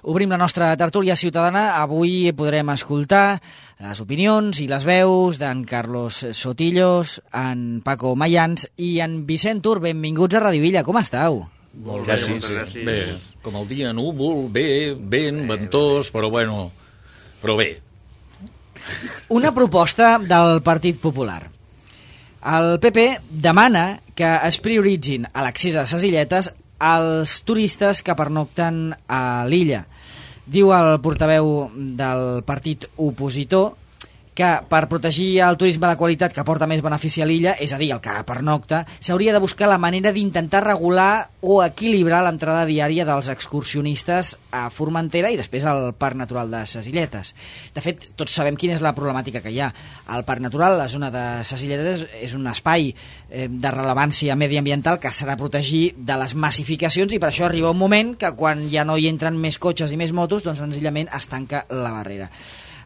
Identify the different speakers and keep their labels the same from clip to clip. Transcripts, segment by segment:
Speaker 1: Obrim la nostra tertúlia ciutadana. Avui podrem escoltar les opinions i les veus d'en Carlos Sotillos, en Paco Mayans i en Vicent Tur. Benvinguts a Radio Villa. Com estàu?
Speaker 2: Molt bé, gràcies. Bé, com el dia núvol, bé, vent, ventós, però bueno, però bé.
Speaker 1: Una proposta del Partit Popular. El PP demana que es prioritzin a l'accés a les illetes els turistes que pernocten a l'illa. Diu el portaveu del partit opositor que per protegir el turisme de qualitat que porta més benefici a l'illa, és a dir, el que pernocta, s'hauria de buscar la manera d'intentar regular o equilibrar l'entrada diària dels excursionistes a Formentera i després al Parc Natural de Ses Illetes. De fet, tots sabem quina és la problemàtica que hi ha. El Parc Natural, la zona de Ses Illetes, és un espai de rellevància mediambiental que s'ha de protegir de les massificacions i per això arriba un moment que quan ja no hi entren més cotxes i més motos, doncs senzillament es tanca la barrera.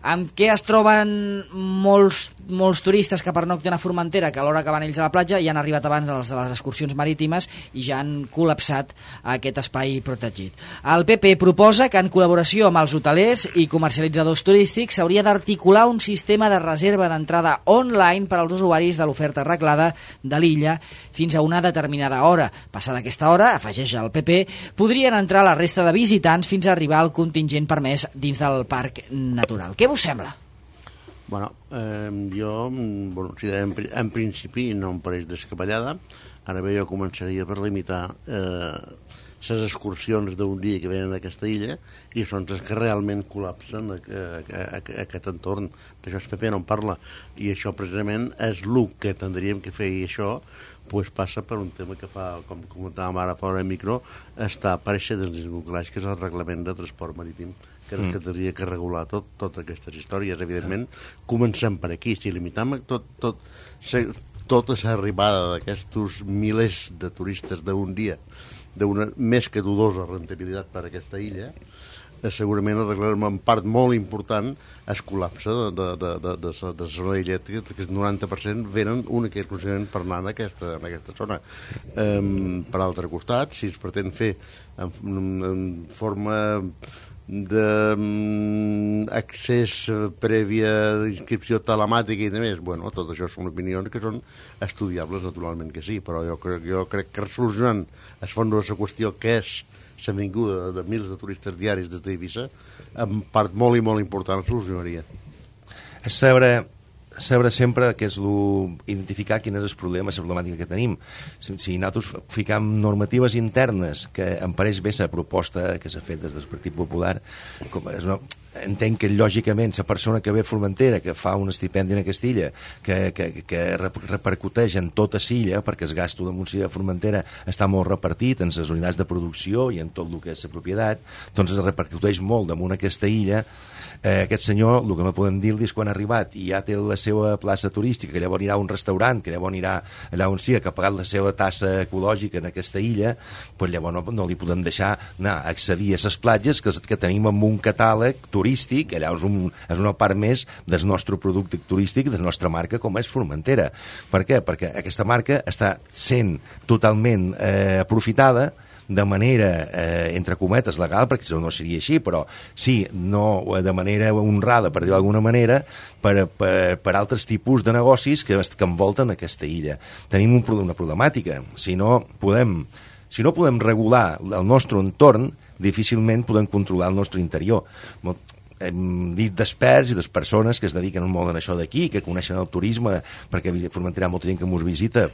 Speaker 1: Amb què es troben molts turistes que pernocten a Formentera, que a l'hora que van ells a la platja ja han arribat abans els de les excursions marítimes i ja han col·lapsat aquest espai protegit. El PP proposa que en col·laboració amb els hotelers i comercialitzadors turístics s'hauria d'articular un sistema de reserva d'entrada online per als usuaris de l'oferta reglada de l'illa fins a una determinada hora. Passada aquesta hora, afegeix el PP, podrien entrar la resta de visitants fins a arribar al contingent permès dins del parc natural. Què vos sembla?
Speaker 3: Bueno, en principi no em pareix descabellada. Ara bé, jo començaria per limitar les excursions d'un dia que venen a aquesta illa i són les que realment col·lapsen aquest entorn. D'això el PP no en parla i això precisament és el que tindríem que fer i això passa per un tema que fa, com comentàvem ara fora de micro, està apareixent dins del nuclears, que és el reglament de transport marítim que tindria que regular totes aquestes històries. Evidentment, comencem per aquí. Si limitem tota l'arribada d'aquests milers de turistes d'un dia, d'una més que dudosa rendibilitat per a aquesta illa, segurament arreglarem en part molt important el col·lapse de la zona d'illa, que el 90% venen únicament exclusivament per anar en aquesta zona. Per altre costat, si es pretén fer en forma d'accés prèvia d'inscripció telemàtica i més, bueno, tot això són opinions que són estudiables, naturalment que sí, però jo crec que solucionant el fons de la qüestió, que és la vinguda de milers de turistes diaris des d'Eivissa, en part molt i molt important solucionaria.
Speaker 4: És saber sempre que és identificar quin és el problema, la problemàtica que tenim. Si nosaltres ficam normatives internes, que em pareix bé la proposta que s'ha fet des del Partit Popular, entenc que lògicament la persona que ve a Formentera, que fa un estipendi en aquesta illa, que repercuteix en tota l'illa, perquè el gasto de Montsilla de Formentera està molt repartit en les unitats de producció i en tot el que és la propietat, doncs es repercuteix molt damunt aquesta illa. Aquest senyor, el que me podem dir és quan ha arribat i ja té la seva plaça turística, que llavors anirà a un restaurant, que llavors anirà allà on sigui, que ha pagat la seva tassa ecològica en aquesta illa, doncs llavors no li podem deixar anar a accedir a les platges que tenim en un catàleg turístic. Allà és una part més del nostre producte turístic, de la nostra marca, com és Formentera. Per què? Perquè aquesta marca està sent totalment aprofitada de manera, entre cometes, legal, perquè si no seria així, però sí, no de manera honrada, per dir-ho d'alguna manera, per altres tipus de negocis que envolten aquesta illa. Tenim una problemàtica. Si no podem regular el nostre entorn, difícilment podem controlar el nostre interior. Hem dit d'experts i de persones que es dediquen molt en això d'aquí, que coneixen el turisme, perquè a Formentera hi ha molta gent que ens visita,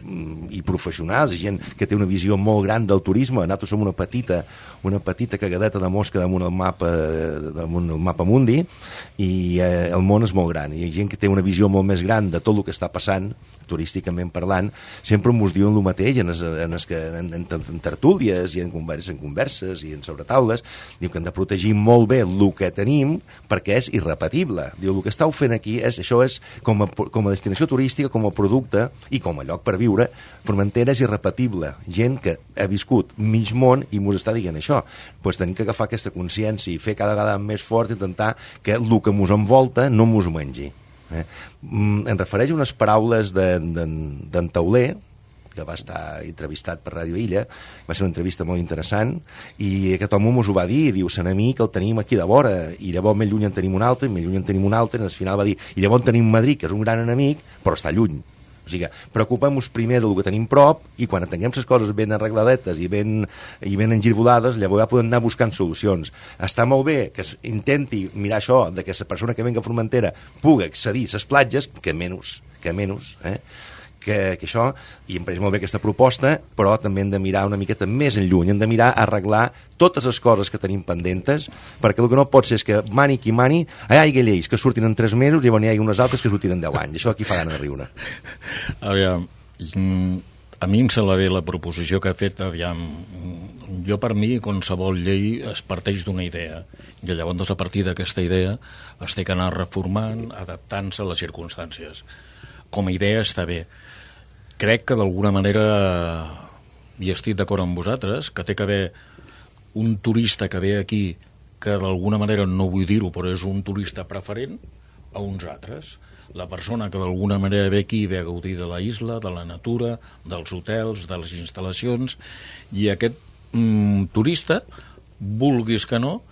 Speaker 4: i professionals, i gent que té una visió molt gran del turisme. Nosaltres som una petita cagadeta de mosca damunt el mapa mundi, i el món és molt gran. I hi ha gent que té una visió molt més gran de tot el que està passant, turísticament parlant, sempre ens diuen el mateix en tertúlies i en converses i en sobretaules. Diu que hem de protegir molt bé el que tenim, perquè és irrepetible. Diu, el que estàu fent aquí això és com a destinació turística, com a producte i com a lloc per viure. Formentera és irrepetible. Gent que ha viscut mig món i mos està dient això. Doncs tenim que agafar aquesta consciència i fer cada vegada més fort, intentar que el que mos envolta no mos mengi. Em refereix a unes paraules d'en Tauler, que va estar entrevistat per Ràdio Illa, va ser una entrevista molt interessant, i aquest home mos ho va dir, diu, Sant amic el tenim aquí de vora, i llavors més lluny en tenim un altre, més lluny en tenim un altre, i al final va dir, i llavors tenim Madrid, que és un gran enemic, però està lluny. O sigui, preocupem-nos primer del que tenim prop, i quan tinguem les coses ben arregladetes i ben engirbolades, llavors ja podem anar buscant solucions. Està molt bé que intenti mirar això, de que la persona que venga a Formentera pugui accedir a les platges, que menys, que això, i em pareix molt bé aquesta proposta, però també hem de mirar una miqueta més enlluny, hem de mirar a arreglar totes les coses que tenim pendentes, perquè el que no pot ser és que mani qui mani, hi hagi lleis que surtin en 3 mesos i hi hagi unes altres que surtin en 10 anys. Això aquí fa gana de riure.
Speaker 2: Aviam, a mi em sembla bé la proposició que ha fet, aviam, jo per mi qualsevol llei es parteix d'una idea, i llavors a partir d'aquesta idea es té que anar reformant, adaptant-se a les circumstàncies. Com a idea està bé. Crec que d'alguna manera, i estic d'acord amb vosaltres, que té que haver un turista que ve aquí, que d'alguna manera, no vull dir-ho, però és un turista preferent a uns altres. La persona que d'alguna manera ve aquí ve a gaudir de la isla, de la natura, dels hotels, de les instal·lacions, i aquest turista, vulguis que no,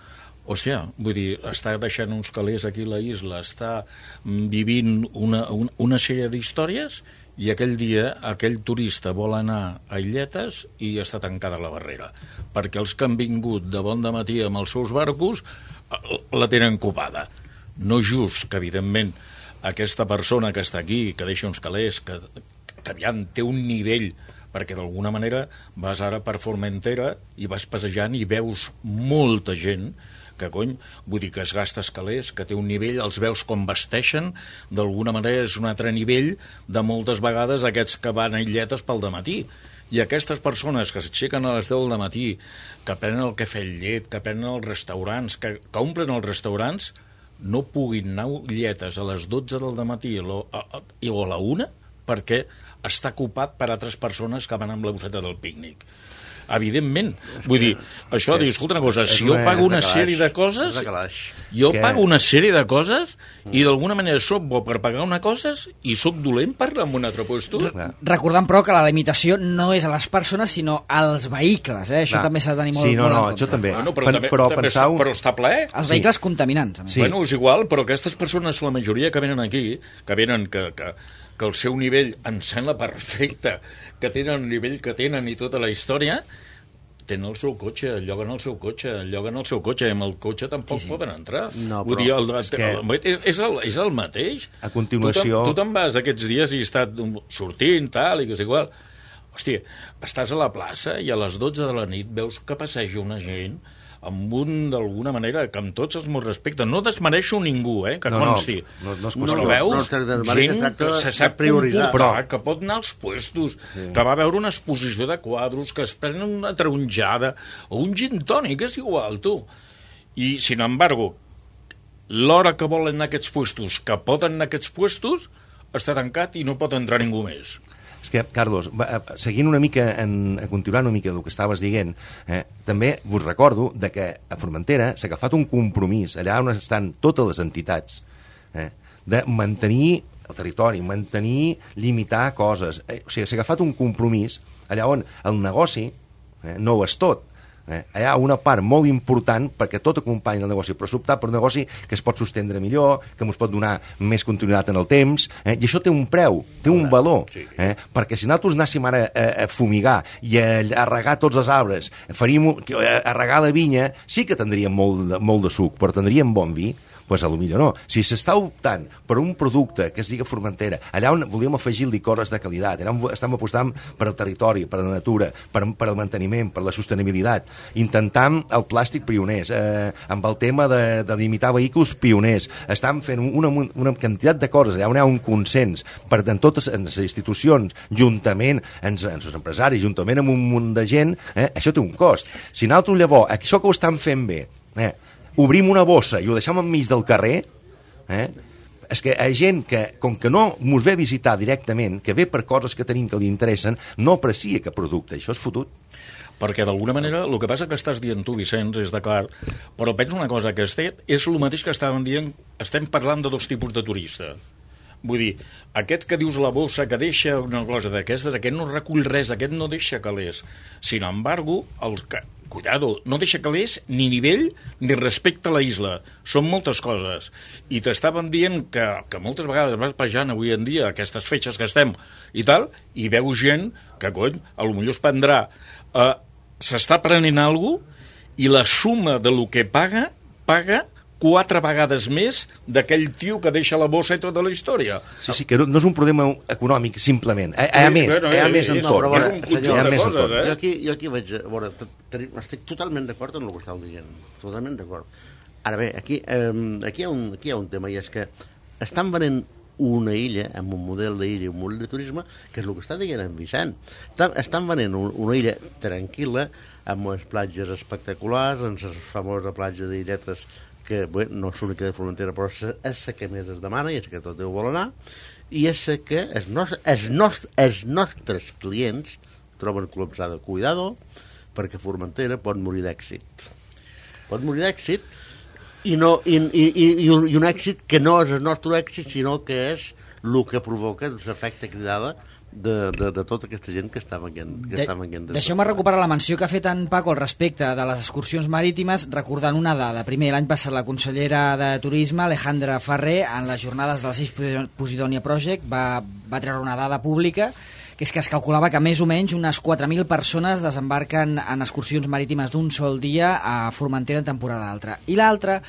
Speaker 2: hòstia, vull dir, està deixant uns calés aquí a la isla, està vivint una sèrie d'històries, i aquell dia aquell turista vol anar a Illetes i està tancada la barrera, perquè els que han vingut de bon dematí amb els seus barcos la tenen copada. No just que, evidentment, aquesta persona que està aquí, que deixa uns calés, que aviam té un nivell, perquè d'alguna manera vas ara per Formentera i vas passejant i veus molta gent que, vull dir que es gasta escalers, que té un nivell, els veus com vesteixen, d'alguna manera és un altre nivell de moltes vegades aquests que van a Illetes pel dematí. I aquestes persones que s'aixequen a les 10 del matí, que prenen el cafè amb llet, que prenen els restaurants, que omplen els restaurants, no puguin anar a Illetes a les 12 del matí o a la 1 perquè està ocupat per altres persones que van amb la bosseta del pícnic. Evidentment, vull dir, això, escolta una cosa, si jo pago una sèrie de coses, i d'alguna manera soc bo per pagar una cosa i soc dolent per anar a un altre lloc.
Speaker 1: Recordant, però, que la limitació no és a les persones, sinó als vehicles, això també s'ha de tenir molt en compte.
Speaker 4: Això també.
Speaker 2: Però està ple.
Speaker 1: Els vehicles contaminants.
Speaker 2: Bueno, és igual, però aquestes persones, la majoria que venen aquí, que el seu nivell em sembla perfecte, que tenen el nivell que tenen i tota la història, tenen el seu cotxe, lloguen el seu cotxe, i amb el cotxe tampoc poden entrar.
Speaker 3: No,
Speaker 2: vull dir, és el mateix.
Speaker 4: A continuació...
Speaker 2: Tu te'n vas aquests dies i has estat sortint, tal, i que és igual. Hòstia, estàs a la plaça i a les 12 de la nit veus que passeja una gent amb d'alguna manera, que amb tots els meus respectes, no desmereixo ningú, que consti. Però veus gent que se sap comportar, que pot anar als puestos, que va veure una exposició de quadros, que es prenen una taronjada, o un gin tònic, és igual, tu. I, sin embargo, l'hora que volen anar a aquests puestos, que poden anar a aquests puestos, està tancat i no pot entrar ningú més.
Speaker 4: És que, Carlos, seguint una mica, continuant una mica del que estaves dient, també vos recordo de que a Formentera s'ha agafat un compromís, allà on estan totes les entitats, de mantenir el territori, limitar coses. O sigui, s'ha agafat un compromís allà on el negoci no ho és tot. Hi ha una part molt important perquè tot acompanya el negoci, però s'optar per un negoci que es pot sostendre millor, que ens pot donar més continuïtat en el temps, i això té un preu, té un valor, perquè si nosaltres anéssim ara a fumigar i a regar tots els arbres, a regar la vinya, sí que tindríem molt de suc, però tindríem bon vi. Doncs potser no. Si s'està optant per un producte que es diga Formentera, allà on volíem afegir licores de qualitat, allà on estem apostant per al territori, per a la natura, per al manteniment, per la sostenibilitat, intentant el plàstic pioners, amb el tema de limitar vehicles pioners, estan fent una quantitat de coses, allà on hi ha un consens en totes les institucions, juntament amb els empresaris, juntament amb un munt de gent, això té un cost. Si nosaltres llavors, això que ho estan fent bé, obrim una bossa i ho deixem enmig del carrer, és que hi ha gent que, com que no mos ve a visitar directament, que ve per coses que tenim que li interessen, no aprecia cap producte. Això és fotut.
Speaker 2: Perquè d'alguna manera el que passa que estàs dient tu, Vicenç, és d'acord, però penso una cosa, que és el mateix que estàvem dient, estem parlant de dos tipus de turista. Vull dir, aquest que dius la bossa, que deixa una cosa d'aquestes, aquest no recull res, aquest no deixa calés. Sin embargo, cuidado, no deixa calés ni nivell ni respecte a la isla. Són moltes coses. I t'estaven dient que moltes vegades vas pejant avui en dia aquestes fetges que estem i tal, i veus gent que, cony, potser es prendrà. S'està prenent alguna cosa i la suma de lo que paga 4 vegades més d'aquell tio que deixa la bossa i tota la història.
Speaker 4: Sí, que no és un problema econòmic, simplement. Hi ha més en tot.
Speaker 3: Jo aquí vaig a veure, estic totalment d'acord amb el que estàu dient. Totalment d'acord. Ara bé, aquí hi ha un tema, i és que estan venent una illa, amb un model d'illa i un model de turisme, que és el que està dient en Vicent. Estan venent una illa tranquil·la, amb unes platges espectaculars, amb la famosa platja d'Illetes, que bé, no és l'única de Formentera, però és la que més es demana i és que tot Déu vol anar, i és la que els nostres clients troben col·lapsada. Cuidado, perquè Formentera pot morir d'èxit. Pot morir d'èxit, i un èxit que no és el nostre èxit, sinó que és el que provoca l'efecte cridada de tota aquesta gent que està venint.
Speaker 1: Deixeu-me recuperar la menció que ha fet en Paco al respecte de les excursions marítimes, recordant una dada. Primer, l'any passat la consellera de Turisme, Alejandra Ferrer, en les jornades del 6 Posidonia Project, va treure una dada pública, que és que es calculava que més o menys unes 4.000 persones desembarquen en excursions marítimes d'un sol dia a Formentera en temporada alta. I l'altra,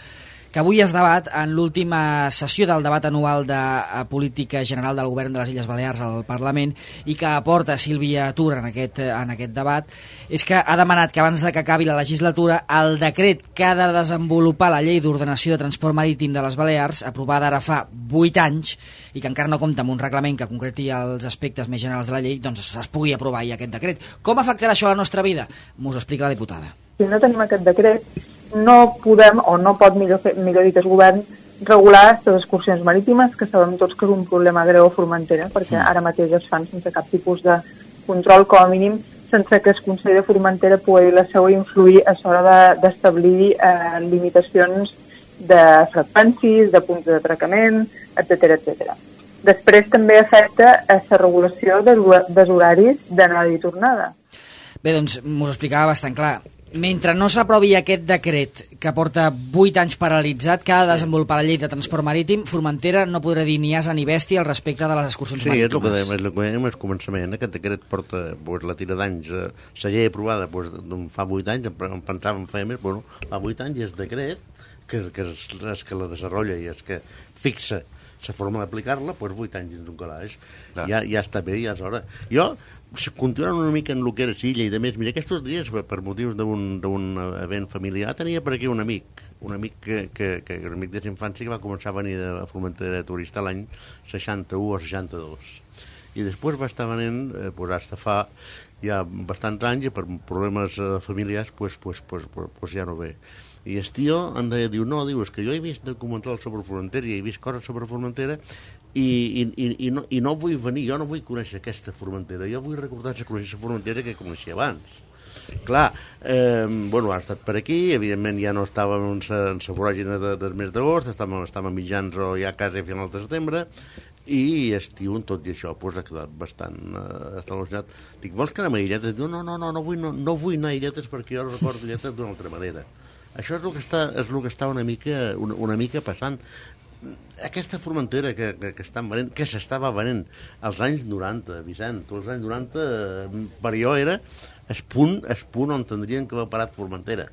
Speaker 1: que avui es debat en l'última sessió del debat anual de política general del govern de les Illes Balears al Parlament, i que aporta Sílvia Tur en aquest debat, és que ha demanat que abans de que acabi la legislatura el decret que ha de desenvolupar la llei d'ordenació de transport marítim de les Balears, aprovada ara fa 8 anys, i que encara no compta amb un reglament que concreti els aspectes més generals de la llei, doncs es pugui aprovar ja aquest decret. Com afectarà això a la nostra vida? M'ho explica la diputada.
Speaker 5: Si no tenim aquest decret, no podem, o no pot, millor dit el govern, regular les excursions marítimes, que sabem tots que és un problema greu a Formentera, perquè ara mateix es fan sense cap tipus de control, com a mínim, sense que el Consell de Formentera pugui la seva influir a l'hora d'establir limitacions de freqüències, de punts d'atracament, etc. Després també afecta a la regulació dels horaris d'anada i tornada.
Speaker 1: Bé, doncs m'ho explicava bastant clar. Mentre no s'aprovi aquest decret que porta 8 anys paralitzat, que ha de desenvolupar la llei de transport marítim, Formentera no podrà dir ni asa ni bèstia al respecte de les excursions marítimes.
Speaker 3: Sí, és el que dèiem al començament. Aquest decret porta la tira d'anys. La llei aprovada fa 8 anys, em pensava en feia més, bueno, fa 8 anys, i el decret, que és que la desenvolupa i és que fixa la forma d'aplicar-la, doncs 8 anys dins un calaix. Ja està bé, ja és hora. Jo, continuant una mica en el que era Silla i de més, mira, aquests dies, per motius d'un event familiar, tenia per aquí un amic que un amic de l'infància que va començar a venir a Formentera de turista l'any 61 o 62. I després va estar venint, hasta fa ja bastants anys, i per problemes familiars, ja no ve. I el tio em diu, és que jo he vist documentals sobre Formentera i he vist coses sobre Formentera i no vull venir, jo no vull conèixer aquesta Formentera, jo vull recordar la Formentera que coneixia abans. Clar, ha estat per aquí, evidentment ja no estàvem en la voràgina del mes d'agost, estàvem mitjans o ja quasi a final de setembre, i estiu, tot i això, ha quedat bastant al·lucinat. Dic, vols que anem a Illetes? Diu, no vull anar a Illetes perquè jo recordo Illetes d'una altra manera. Això és el que està una mica passant. Aquesta Formentera que estan venent, que s'estava venent als anys 90, Vicent, els anys 90 per jo era el punt on tindrien que haver parat Formentera.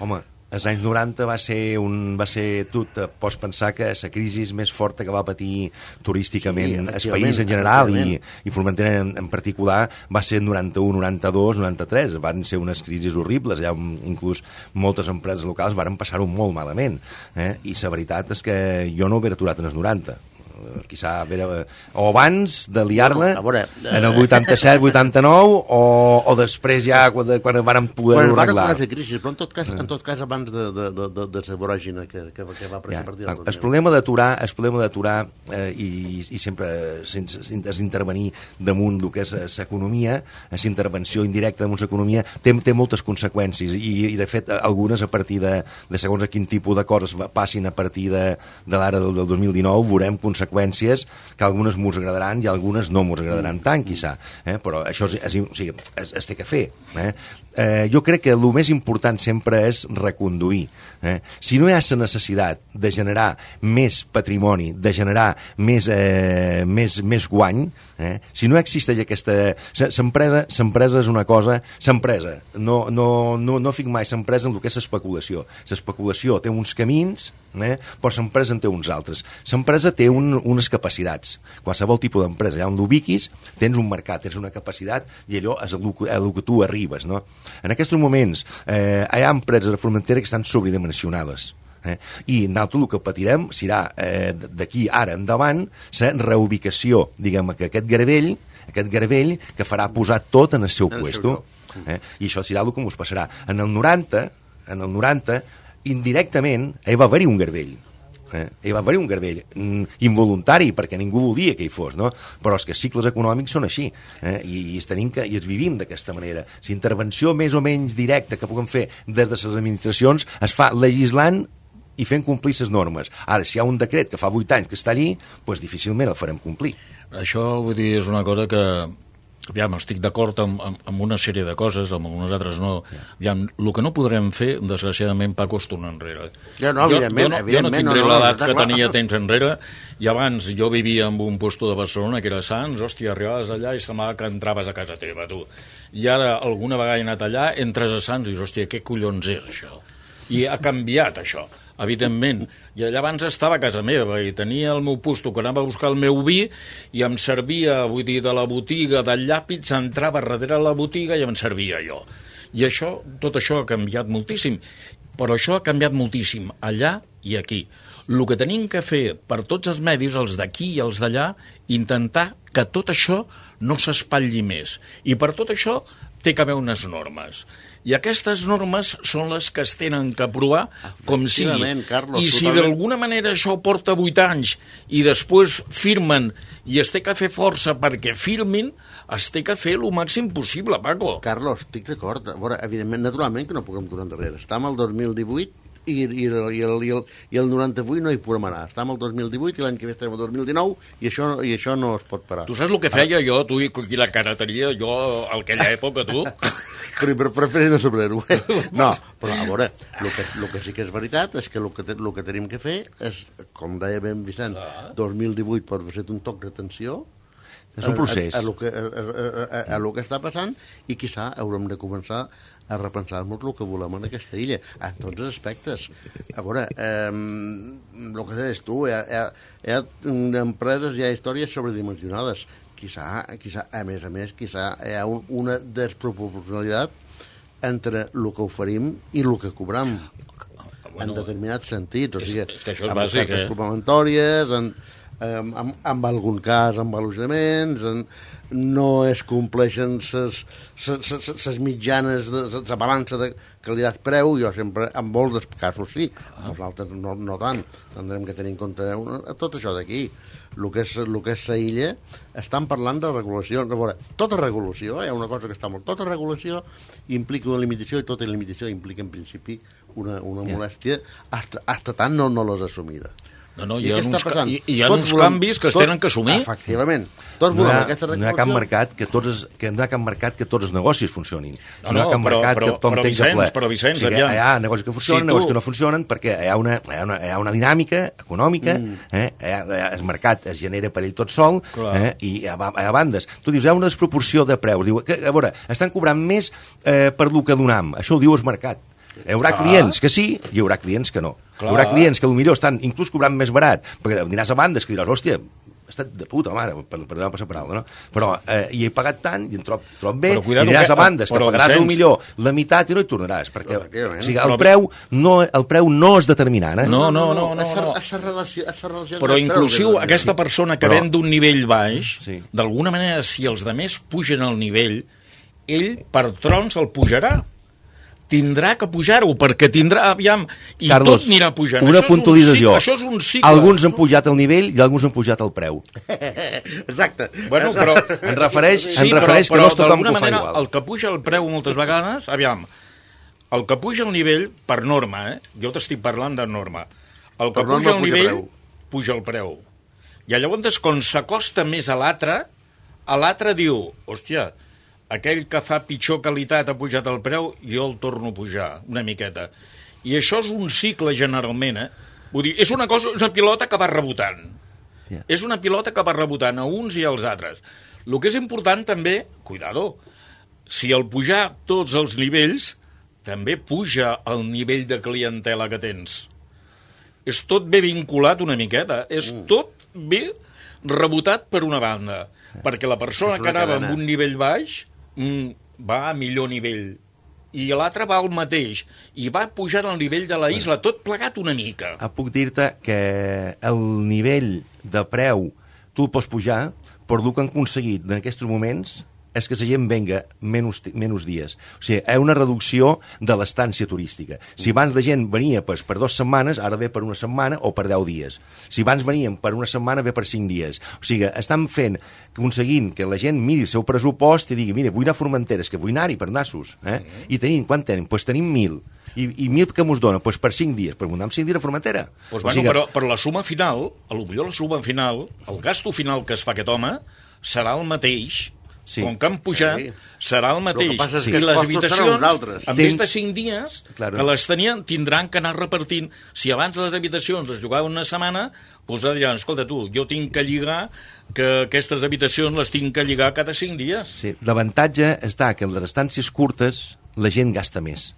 Speaker 4: Home, als anys 90 va ser tu pots pensar que la crisi més forta que va patir turísticament el país en general i Formentera en particular va ser en 91, 92, 93. Van ser unes crisis horribles, allà inclús moltes empreses locals varen passar-ho molt malament, i la veritat és que jo no ho hauria aturat en els 90. Quizà o abans de liar-la en el 87, 89 o després ja quan van poder-ho arreglar.
Speaker 3: Però en tot cas abans de la voràgina que va partir del 2000.
Speaker 4: El problema d'aturar i sempre sense intervenir damunt el que és l'economia, l'intervenció indirecta damunt l'economia, té moltes conseqüències i de fet algunes a partir de segons a quin tipus de coses passin a partir de l'ara del 2019 veurem conseqüències conseqüències que algunes mos agradaran i algunes no mos agradaran tant, quizà. Però això es té que fer. Jo crec que el més important sempre és reconduir. Si no hi ha la necessitat de generar més patrimoni, de generar més guany, si no existeix aquesta... L'empresa és una cosa... L'empresa, no fic mai l'empresa en el que és l'especulació. L'especulació té uns camins, però l'empresa en té uns altres. L'empresa té unes capacitats. Qualsevol tipus d'empresa, allà on l'ubiquis, tens un mercat, tens una capacitat, i allò és el que tu arribes, no? En aquests moments hi ha empreses de Formentera que estan sobredimensionades. I nosaltres el que patirem serà d'aquí ara endavant la reubicació, diguem, que aquest garbell que farà posar tot en el seu puesto. I això serà el que ens passarà. En el 90, indirectament, hi va haver-hi un garbell. Hi va haver-hi un garbell involuntari, perquè ningú volia que hi fos, no? Però és que els cicles econòmics són així, i els vivim d'aquesta manera. La intervenció més o menys directa que puguem fer des de les administracions es fa legislant i fent complir les normes. Ara, si hi ha un decret que fa 8 anys que està allí, doncs difícilment el farem complir.
Speaker 2: Això, vull dir, és una cosa que... Aviam, estic d'acord amb una sèrie de coses, amb algunes altres no. Aviam, el que no podrem fer, desgraciadament, Paco, és tornar enrere.
Speaker 3: Jo no
Speaker 2: tindré l'edat que tenia temps enrere, i abans jo vivia en un puesto de Barcelona que era Sants, hòstia, arribaves allà i semblava que entraves a casa teva, tu. I ara, alguna vegada he anat allà, entres a Sants i dius, hòstia, què collons és això? I ha canviat això, evidentment. I allà abans estava a casa meva i tenia el meu puesto que anava a buscar el meu vi i em servia, vull dir, de la botiga del llàpid, entrava darrere la botiga i em servia jo. I això, tot això ha canviat moltíssim, però això ha canviat moltíssim allà i aquí. El que tenim que fer per tots els medis, els d'aquí i els d'allà, intentar que tot això no s'espatlli més. I per tot això té que haver unes normes. I aquestes normes són les que es tenen que aprovar com sigui.
Speaker 3: Carlos,
Speaker 2: I si d'alguna manera això porta 8 anys i després firmen i es té que fer força perquè firmin, es té que fer el màxim possible, Paco.
Speaker 3: Carlos, estic d'acord. A veure, evidentment, naturalment que no puguem tornar enrere. Estem al 2018 i el 98 no hi podem anar. Estem al 2018 i l'any que ve estem al 2019 i això no es pot parar.
Speaker 2: Tu saps el que feia jo, tu, i la cara tenia jo a aquella època, tu?
Speaker 3: Però preferir no saber-ho. No, però a veure, el que sí que és veritat és que el que tenim que fer és, com deia ben Vicent, 2018 pot ser un toc d'atenció.
Speaker 4: És un procés.
Speaker 3: A el que està passant, i quizà haurem de començar a repensar-nos el que volem en aquesta illa, en tots els aspectes. A veure, el que deies tu, hi ha empreses, hi ha històries sobredimensionades. Quizà, a més, hi ha una desproporcionalitat entre el que oferim i el que cobram. En determinats sentits. O sigui,
Speaker 2: és que això és bàsic,
Speaker 3: complementòries, en algun cas amb al·lucinaments, no es compleixen les mitjanes, la balança de qualitat-preu. Jo sempre, en molts dels casos sí, els altres no tant. Tindrem que tenir en compte tot això d'aquí. El que és la illa, estan parlant de regulació. A veure, tota regulació, hi ha una cosa que està molt... Tota regulació implica una limitació, i tota limitació implica en principi una molèstia, hasta tant no l'has assumida.
Speaker 2: No, hi ha uns canvis que es tenen que assumir.
Speaker 3: Efectivament. Tots volem aquesta regulació.
Speaker 4: No hi ha cap mercat que tots els negocis funcionin. No hi ha cap mercat que tothom tingui ple.
Speaker 2: Però Vicenç,
Speaker 4: hi ha negocis que funcionen, negocis que no funcionen, perquè hi ha una dinàmica econòmica, el mercat es genera per ell tot sol, i hi ha bandes. Tu dius, hi ha una desproporció de preus. Diu, a veure, estan cobrant més per lo que donam. Això ho diu el mercat. Hi haurà clients que sí, hi haurà clients que no. Hi haurà clients que potser estan inclús cobrant més barat, perquè aniràs a bandes que diràs, hòstia, he estat de puta mare, per no passar paraula, no? Però hi he pagat tant i em trob bé, i aniràs a bandes que pagaràs millor la meitat i no hi tornaràs, perquè o sigui, el preu no és determinant.
Speaker 2: No. Però inclusiu aquesta persona que ven d'un nivell baix, d'alguna manera, si els altres pugen el nivell, ell per trons el pujarà. Tindrà que pujar-ho, perquè tindrà, aviam, i
Speaker 4: Carlos,
Speaker 2: tot anirà pujant.
Speaker 4: Una puntualització.
Speaker 2: Això és un cicle.
Speaker 4: Alguns han pujat el nivell i alguns han pujat el preu.
Speaker 3: Exacte.
Speaker 2: Bueno, però...
Speaker 4: En refereix que no és tothom que ho fa igual.
Speaker 2: El que puja el preu moltes vegades, aviam, el que puja el nivell, per norma, jo t'estic parlant de norma, el que puja el nivell, puja el preu. I llavors, quan s'acosta més a l'altre diu, hòstia, aquell que fa pitjor qualitat ha pujat el preu, jo el torno a pujar una miqueta. I això és un cicle, generalment, Vull dir, és una pilota que va rebotant.
Speaker 4: Yeah.
Speaker 2: És una pilota que va rebotant a uns i als altres. El que és important també, cuidado, si al pujar tots els nivells, també puja el nivell de clientela que tens. És tot bé vinculat una miqueta, és tot bé rebotat per una banda, perquè la persona que anava amb un nivell baix va a millor nivell, i l'altre va al mateix, i va pujant al nivell de la isla, tot plegat una mica.
Speaker 4: Puc dir-te que el nivell de preu tu el pots pujar, però el que han aconseguit en aquests moments és que la gent venga menys dies. O sigui, hi ha una reducció de l'estància turística. Si abans la gent venia per 2 setmanes, ara ve per una setmana o per 10 dies. Si abans venien per una setmana, ve per 5 dies. O sigui, estan aconseguint que la gent miri el seu pressupost i digui, mira, vull anar a Formentera, és que vull anar-hi per nassos. I tenim, quant tenim? Doncs tenim 1.000. I 1.000 que mos dona? Doncs per 5 dies. Per anar amb 5 dies a Formentera.
Speaker 2: Pues bueno, però per la suma final, potser la suma final, el gasto final que es fa aquest home serà el mateix. Sí. Com que han pujat, serà el mateix.
Speaker 3: El que passa és que
Speaker 2: I les habitacions, en més de 5 dies,
Speaker 4: claro,
Speaker 2: que les tenien, tindran que anar repartint. Si abans les habitacions es jugaven una setmana, doncs diran, escolta tu, jo tinc que lligar, que aquestes habitacions les tinc que lligar cada 5 dies.
Speaker 4: Sí, l'avantatge està que en les estàncies curtes la gent gasta més.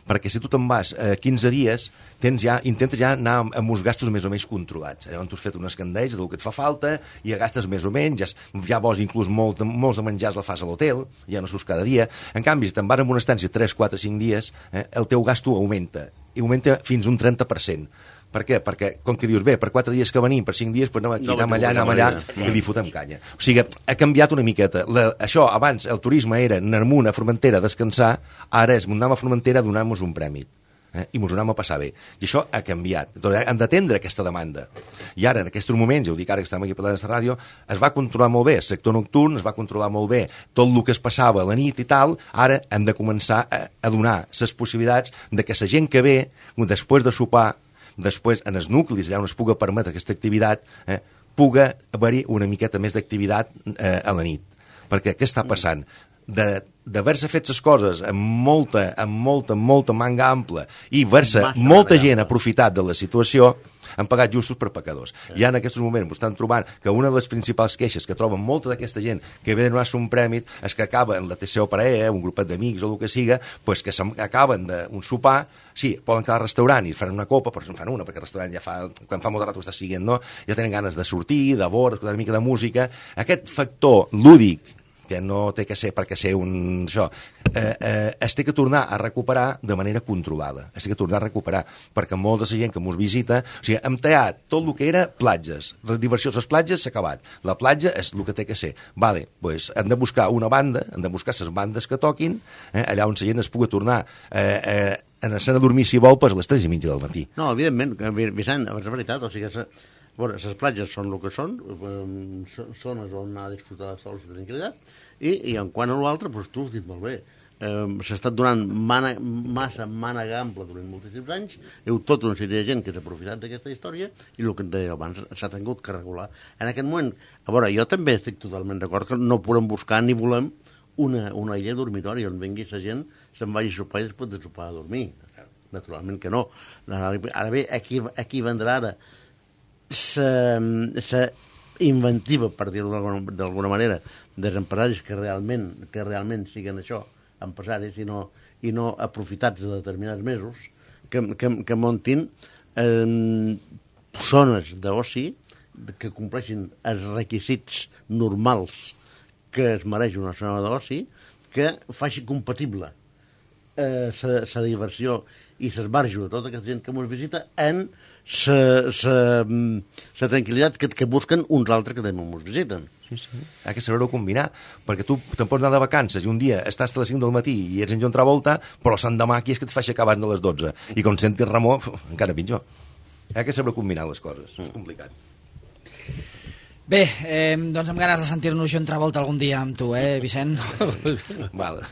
Speaker 4: Perquè si tu te'n vas 15 dies, intentes ja anar amb uns gastos més o menys controlats. Llavors tu has fet unes candells del que et fa falta, i ja gastes més o menys, ja vols inclús molts de menjars la fas a l'hotel, ja no surts cada dia. En canvi, si te'n vas amb una estància 3, 4, 5 dies, el teu gasto augmenta, i augmenta fins un 30%. Per què? Perquè, com que dius, bé, per 4 dies que venim, per 5 dies, doncs anem allà, i li fotem canya. O sigui, ha canviat una miqueta. Això, abans, el turisme era anar a Formentera a descansar, ara és anem a Formentera a donar-nos un prèmit. I mos ho anem a passar bé. I això ha canviat. Hem d'atendre aquesta demanda. I ara, en aquests moments, ja ho dic ara que estem aquí parlant d'aquesta ràdio, es va controlar molt bé el sector nocturn, es va controlar molt bé tot el que es passava a la nit i tal. Ara hem de començar a donar les possibilitats de que la gent que ve, després de sopar, després en els nuclis, allà on es puga permetre aquesta activitat, puga haver-hi una miqueta més d'activitat a la nit. Perquè què està passant? D'haver-se fet les coses amb molta manga ampla i haver-se molta gent aprofitat de la situació, han pagat justos per pecadors. Ja en aquests moments estan trobant que una de les principals queixes que troben molta d'aquesta gent que ve de donar-se un prèmit és que acaba en la TCO parella, un grupet d'amics o el que siga, pues que acaben d'un sopar, sí, poden quedar al restaurant i fan una copa, però en fan una, perquè el restaurant ja quan fa molt de rato està siguent, no? Ja tenen ganes de sortir, de veure, d'escoltar una mica de música. Aquest factor lúdic, que no té que ser perquè ser es té que tornar a recuperar de manera controlada. Es té que tornar a recuperar, perquè molta de la gent que mos visita, o sigui, hem tallat tot el que era platges. La diversió a les platges s'ha acabat. La platja és el que té que ser. Vale, doncs hem de buscar una banda, hem de buscar les bandes que toquin, allà on la gent es pugui tornar anar a dormir, si vol, a les 3:30 del matí.
Speaker 3: No, evidentment, Vicent, és veritat, o sigui, les platges són el que són, zones on anar a disfrutar de sols i tranquil·litat, i en quant a l'altre, doncs tu has dit molt bé, s'ha estat donant massa mànega ampla durant moltíssims anys, hi ha tota una sèrie de gent que s'ha aprofitat d'aquesta història, i el que et deia abans, s'ha tingut que regular. En aquest moment, a veure, jo també estic totalment d'acord que no podem buscar ni volem una illa dormitori on vengui la gent, se'n vagi a sopar i després de sopar a dormir. Naturalment que no. Ara bé, aquí vendrà ara la inventiva, per dir-ho d'alguna manera, dels empresaris que realment siguen això, empresaris i no aprofitats de determinats mesos, que muntin zones d'oci que compleixin els requisits normals que es mereix una zona d'oci, que faci compatible la diversió i l'esbarjo de tota aquesta gent que ens visita en la tranquil·litat que busquen uns altres que també ens visiten.
Speaker 4: Sí. Hi ha que saber-ho combinar, perquè tu te'n pots anar de vacances i un dia estàs a les 5 del matí i ets en Joan Travolta, però l'endemà aquí és que et fa aixecar abans de les 12. I com sentis Ramó, encara pitjor. Hi ha que saber combinar les coses. És complicat.
Speaker 1: Bé, doncs amb ganes de sentir-nos Joan Travolta algun dia amb tu, Vicent?
Speaker 4: Val.